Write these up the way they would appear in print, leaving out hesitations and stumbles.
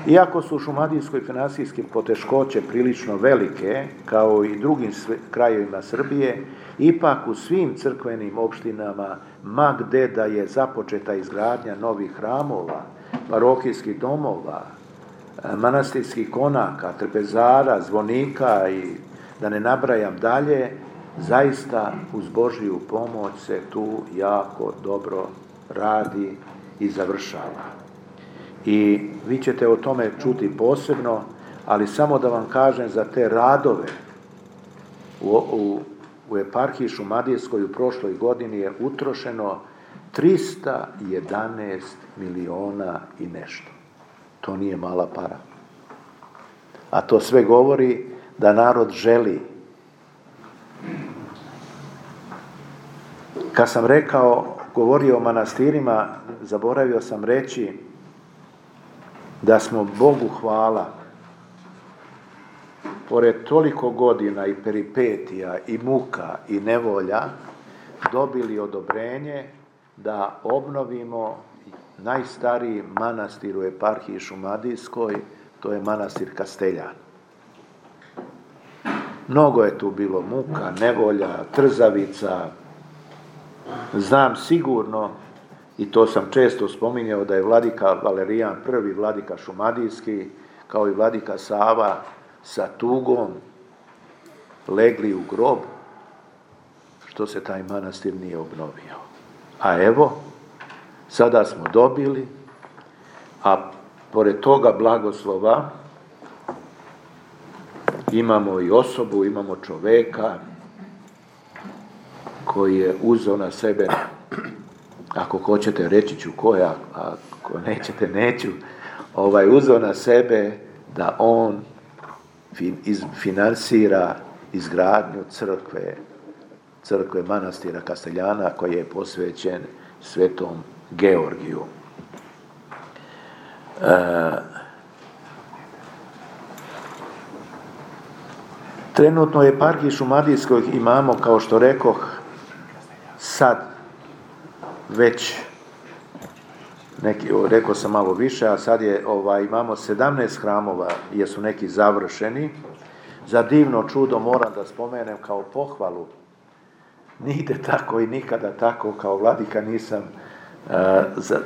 Iako su u Šumadijskoj finansijske poteškoće prilično velike, kao i drugim krajevima Srbije, ipak u svim crkvenim opštinama, ma gde da je započeta izgradnja novih hramova, parohijskih domova, manastirskih konaka, trpezara, zvonika i da ne nabrajam dalje, zaista uz Božju pomoć se tu jako dobro radi i završava. I vi ćete o tome čuti posebno, ali samo da vam kažem za te radove u eparhiji Šumadijskoj u prošloj godini je utrošeno 311 miliona i nešto. To nije mala para. A to sve govori da narod želi. Kad sam govorio o manastirima, zaboravio sam reći da smo Bogu hvala, pored toliko godina i peripetija i muka i nevolja, dobili odobrenje da obnovimo najstariji manastir u eparhiji Šumadijskoj, to je manastir Kasteljan. Mnogo je tu bilo muka, nevolja, trzavica. Znam sigurno, i to sam često spominjao, da je vladika Valerijan I, vladika Šumadijski, kao i vladika Sava, sa tugom legli u grob, što se taj manastir nije obnovio. A evo, sada smo dobili, a pored toga blagoslova imamo i osobu, imamo čoveka koji je uzeo na sebe, ako hoćete reći ću koja, ako nećete neću, uzeo na sebe da on finansira izgradnju crkve manastira Kasteljana koji je posvećen Svetom Georgiju. Trenutno u eparhiji Šumadijskoj imamo, kao što rekoh, sad već rekao sam malo više, a sad imamo 17 hramova jer su neki završeni. Za divno čudo moram da spomenem kao pohvalu, nigde tako i nikada tako kao vladika nisam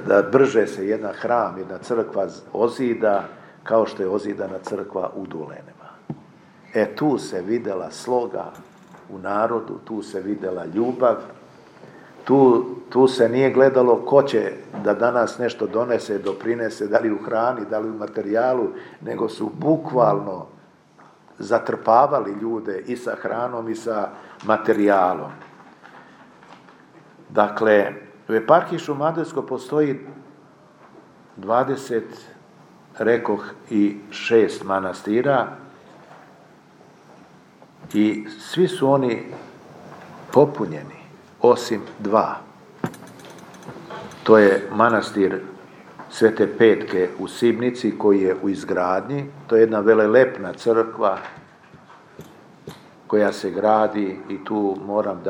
da brže se jedan hram, jedna crkva ozida kao što je ozidana crkva u Dulenima. Tu se videla sloga u narodu, tu se videla ljubav, tu se nije gledalo ko će da danas nešto donese, doprinese, da li u hrani, da li u materijalu, nego su bukvalno zatrpavali ljude i sa hranom i sa materijalom. Dakle, u eparhiji Šumadijskoj postoji 20, rekoh, i 6 manastira i svi su oni popunjeni, osim 2. To je manastir Svete Petke u Sibnici koji je u izgradnji. To je jedna velelepna crkva koja se gradi i tu moram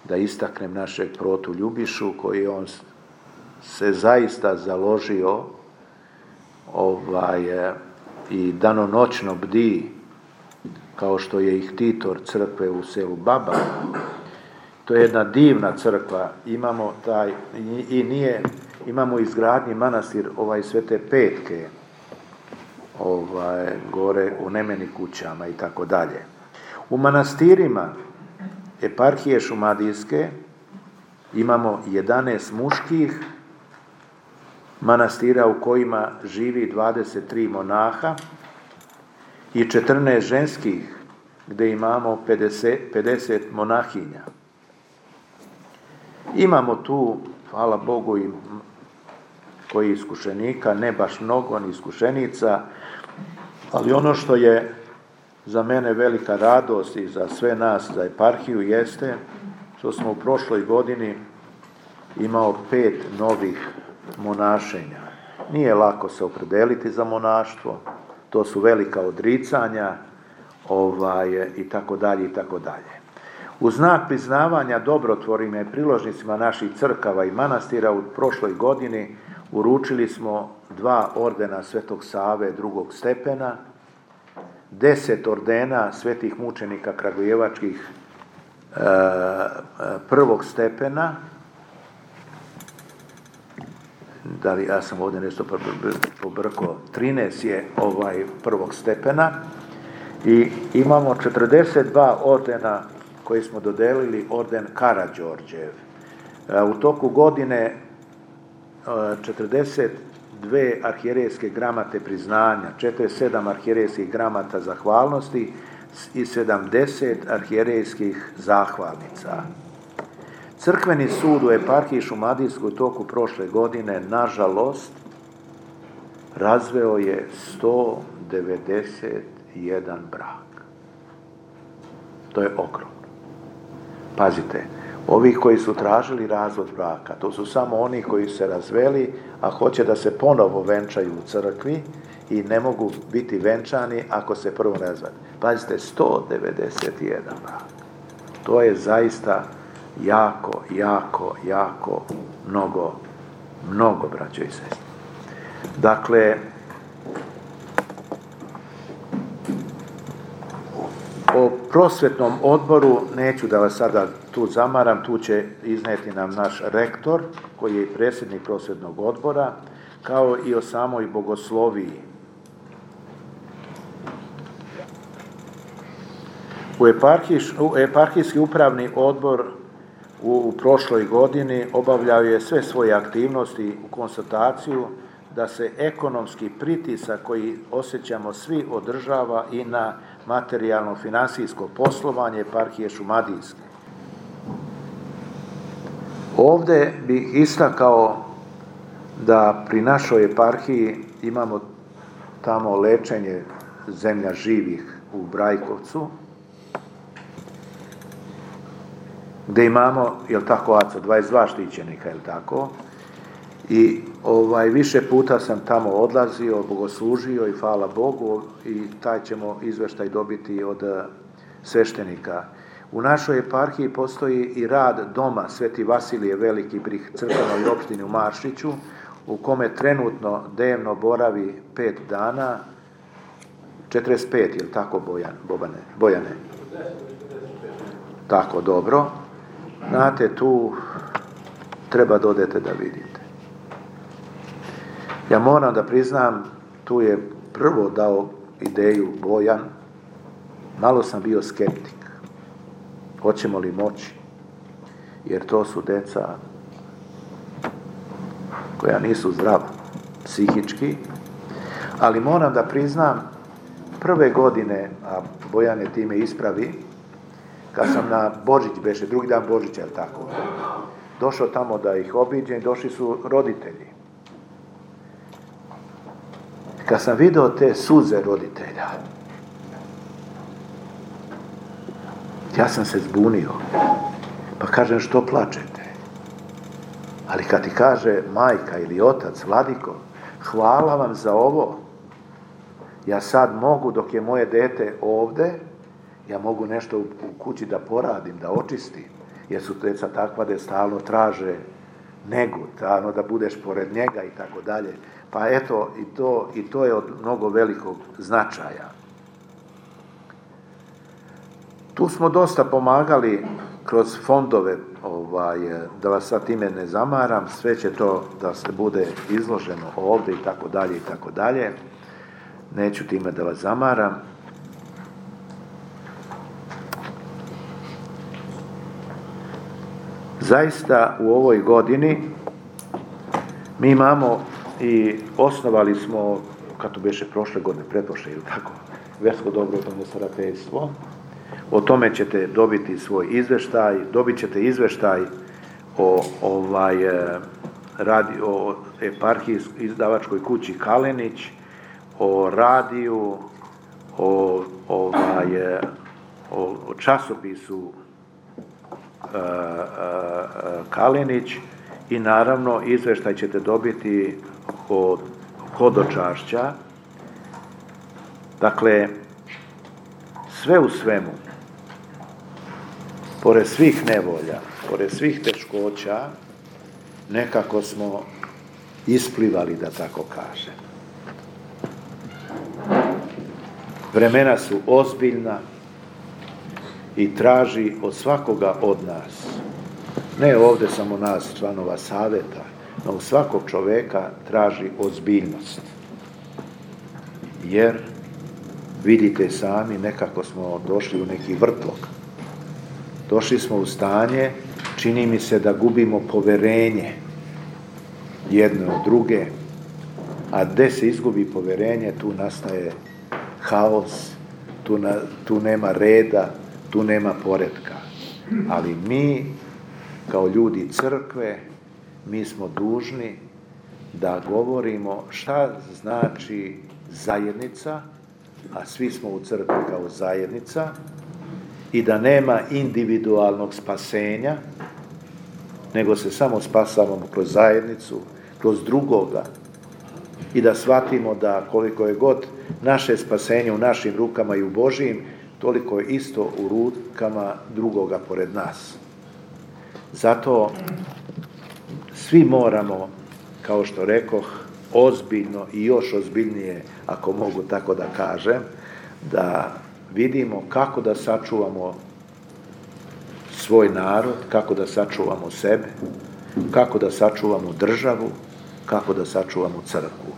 da istaknem našeg protu Ljubišu koji on se zaista založio i danonoćno bdi kao što je ih titor crkve u selu Baba. To je jedna divna crkva. Imamo izgradnji manastir Svete Petke gore u Nemeni kućama i tako dalje. U manastirima eparhije Šumadijske imamo 11 muških manastira u kojima živi 23 monaha i 14 ženskih gdje imamo 50 monahinja. Imamo tu, hvala Bogu, i koji iskušenika, ne baš mnogo, ni iskušenica, ali ono što je za mene velika radost i za sve nas, za eparhiju, jeste što smo u prošloj godini imao 5 novih monašenja. Nije lako se opredeliti za monaštvo, to su velika odricanja, i tako dalje, i tako dalje. U znak priznavanja dobrotvorima i priložnicima naših crkava i manastira u prošloj godini uručili smo 2 ordena Svetog Save drugog stepena, 10 ordena svetih mučenika kragujevačkih prvog stepena. Da li ja sam ovdje nešto pobrkao, 13 je prvog stepena i imamo 42 ordena koji smo dodelili orden Karađorđev. U toku godine 42 arhijerejske gramate priznanja, 47 arhijerejskih gramata zahvalnosti i 70 arhijerejskih zahvalnica. Crkveni sud u eparhiji Šumadijskoj u toku prošle godine, nažalost, razveo je 191 brak. To je ogromno. Pazite, ovi koji su tražili razvod braka, to su samo oni koji se razveli, a hoće da se ponovo venčaju u crkvi i ne mogu biti venčani ako se prvo razvode. Pazite, 191 brak. To je zaista jako mnogo, braćo i sestre. Dakle, o prosvetnom odboru neću da vas sada tu zamaram, tu će izneti nam naš rektor, koji je i predsjednik prosvetnog odbora, kao i o samoj bogosloviji. Eparhijski upravni odbor u prošloj godini obavljao je sve svoje aktivnosti u konstataciju da se ekonomski pritisak koji osjećamo svi održava i na materijalno-finansijsko poslovanje eparhije Šumadijske. Ovdje bih istakao da pri našoj eparhiji imamo tamo lečenje zemlja živih u Brajkovcu, gdje imamo, jel tako, Aco, 22 štićenika, jel tako? I više puta sam tamo odlazio, bogoslužio i hvala Bogu, i taj ćemo izveštaj dobiti od sveštenika. U našoj eparhiji postoji i rad doma Sveti Vasilije Veliki pri crkvenoj opštini u Maršiću, u kome trenutno dnevno boravi 5 dana, 45, jel tako, Bojane? Tako, dobro. Znate, tu treba da odete da vidite. Ja moram da priznam, tu je prvo dao ideju Bojan, malo sam bio skeptik. Hoćemo li moći? Jer to su deca koja nisu zdrava psihički, ali moram da priznam, prve godine, a Bojan je time ispravi, kad sam na Božić beše, drugi dan Božića, jel tako, došao tamo da ih obiđem, došli su roditelji. Kad sam video te suze roditelja, ja sam se zbunio. Pa kažem, što plačete? Ali kad ti kaže majka ili otac, Vladiko, hvala vam za ovo, ja sad mogu, dok je moje dete ovde, ja mogu nešto u kući da poradim, da očistim, jer su deca takva da stalno traže negu, stalno da budeš pored njega i tako dalje. Pa eto, i to je od mnogo velikog značaja. Tu smo dosta pomagali kroz fondove, da vas sad time ne zamaram, sve će to da se bude izloženo ovdje i tako dalje i tako dalje. Neću time da vas zamaram. Zaista u ovoj godini mi imamo i osnovali smo, kad to beše prošle godine, pretprošle ili tako, versko dobrotvorno starateljstvo. O tome ćete dobiti svoj izveštaj, dobit ćete izveštaj o eparhijskoj izdavačkoj kući Kalenić, o radiju, o časopisu Kalenić i naravno izveštaj ćete dobiti od hodočašća. Dakle, sve u svemu, pored svih nevolja, pored svih teškoća, nekako smo isplivali, da tako kažem. Vremena su ozbiljna i traži od svakoga od nas, ne ovdje samo nas, članova savjeta, no u svakog čovjeka traži ozbiljnost. Jer, vidite sami, nekako smo došli u neki vrtlog. Došli smo u stanje, čini mi se da gubimo poverenje jedne od druge, a gdje se izgubi poverenje, tu nastaje haos, tu nema reda, tu nema poretka. Ali mi, kao ljudi crkve, mi smo dužni da govorimo šta znači zajednica, a svi smo u crkvi kao zajednica, i da nema individualnog spasenja, nego se samo spasavamo kroz zajednicu, kroz drugoga, i da shvatimo da koliko je god naše spasenje u našim rukama i u Božijim, toliko je isto u rukama drugoga pored nas. Zato svi moramo, kao što rekoh, ozbiljno i još ozbiljnije, ako mogu tako da kažem, da vidimo kako da sačuvamo svoj narod, kako da sačuvamo sebe, kako da sačuvamo državu, kako da sačuvamo crkvu.